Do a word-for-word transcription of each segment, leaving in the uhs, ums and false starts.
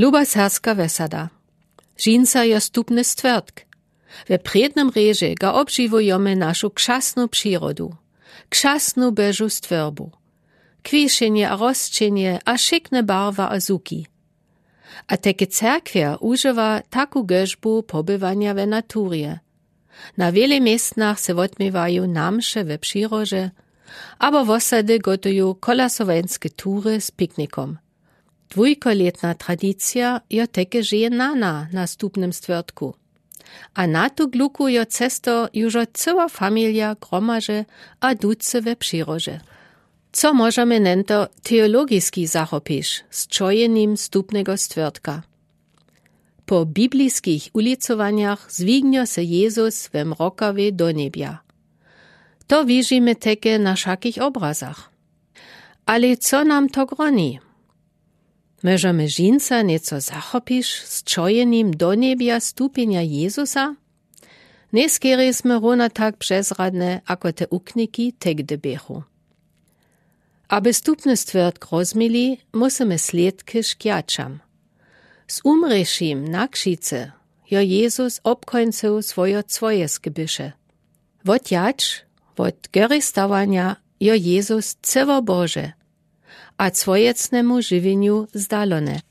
Luba serbska wesada. Žinsa jo stupny stwórtk. We prědnym rědźe ga obžiwujome našu křasnu přirodu, křasnu Božu stwórbu, kwišenje a rosćenje a wšikne barwa a zuki. A teke cerkwer užiwa taku gežbu pobywanja we naturje. Na wjele městnach se wotměwaju namše we přirože, abo wosady gotuju kolasowańske tury z piknikom. Dwójkolětna tradicija jo teke žeje nana na stupnym stwórtku. A na tu gluku jo cesto južo cyła familija gromaže a ducy we přirože. Co móžeme nento teologiski zachopiš z čojenim stupnego stwórtka? Po bibliskich ulicowanjach zwignjo se Jezus we mrokawej do njebja. To wižime teke na wšakich obrazach. Ale co nam to groni? Móžeme žinsa něco zachopiš z čojenim do njebja stupjenja Jezusa? Njeskerje smy runa tak přezradne ako te ukniki tegdy běchu. Aby stupny stwórtk rozmili, musymy slědki škjaćam. Z umrěšim na křicy jo Jezus obkońcył swojo cwojeske byše. Wotjadź, wot goristawanja jo Jezus cyło Bože a cwojecnemu žiwjenju zdalony.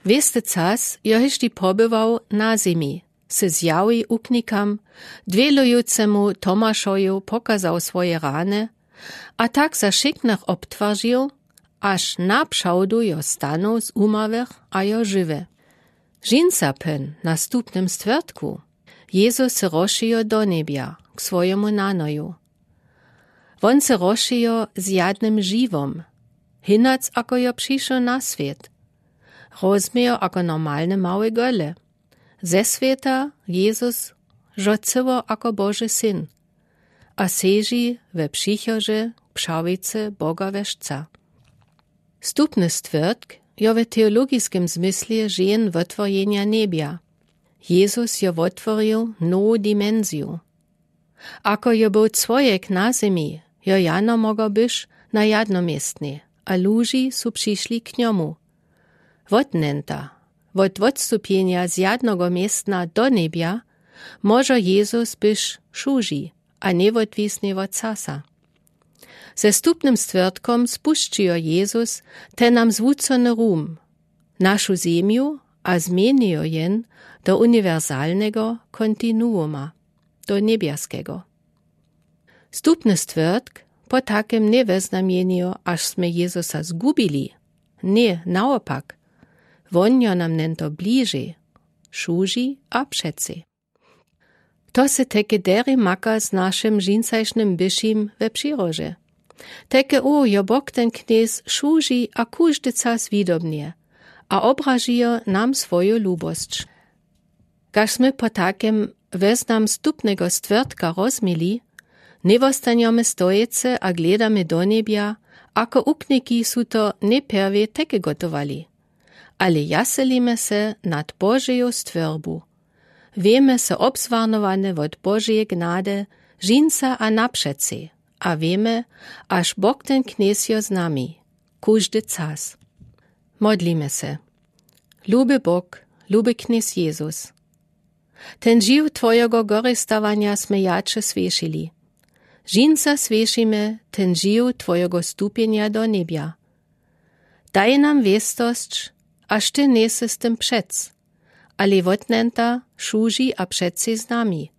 Wěsty cas jo hišti pobywał na zemi, se zjawi uknikam, dwělujucemu Tomašoju pokazał swoje rany a tak za wšiknych obtwarził, až na přałdu jo stanu z umawych a jo žiwy. Žinsa pón na stupnym stwórtku. Jezus se rozšijo do njebja k swojemu nanoju. Wón se rozšijo z jadnym žiwom, hinac ako jo přišo na swět. Rozmije ako normalny mały gole. Ze swěta Jezus žo cyło ako Boži syn a seži we přichože k přawicy Boga wešca. Stupny stwórtk jo we teologiskem zmyslje žen wotworjenja njebja. Jezus jo wotworił nowu dimensiju. Ako jo był cwojek na zemi, jo jano mogo byś na jadnoměstnej a luži su přišli k njomu. Wotnenta, wot wotstupjenja z jadnogo městna do njebja, móžo Jezus byś wšuži a njewotwisny wot casa. Ze stupnym stwórtkom spušćijo Jezus ten nam zwucony rum, našu zemju a změnijo jen do uniwersalnego kontinuuma, do njebjaskego. Stupny stwórtk po takem njeweznamjenijo, až smy Jezusa zgubili. Ně, naopak. Wón jo nam nento bliži, wšuži a přeci. To se teke derje maka z našim žinsajšnym byšim we přirože. Teke o jo Bóg ten knjez wšuži a kóżdy cas widobnje a obražijo nam swoju lubosć. Kaž smy po takem weznam stupnego stwórtka rozmili, njewostanjome stojecy a gledamy do njebja, ako ukniki su to njeperwje teke gotowali. Ale jaselimy se nad Božeju stwórbu. Wěmy so obzwarnowane wot Božeje gnady, žinsa a napřeci, a wěmy, až Bóg ten knjez jo z nami, kóżdy cas. Modlimy se. Luby Bóg, luby knjez Jezus. Ten žiw twojeho goristawanja smy jače słyšili. Žinsa słyšimy ten žiw twojeho stupjenja do njebja. Daj nam wěstosć, až ty njejsy z tym přec, ale wotnenta wšuži a přeci z nami.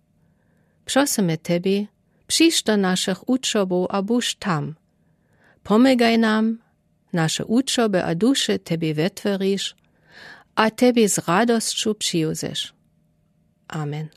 Prosymy tebie, přińdź do našich wučobow a buńdź tam. Pomagaj nam, naše wučoby a duše tebie wetworić a tebie z radosću přiwzeć. Amen.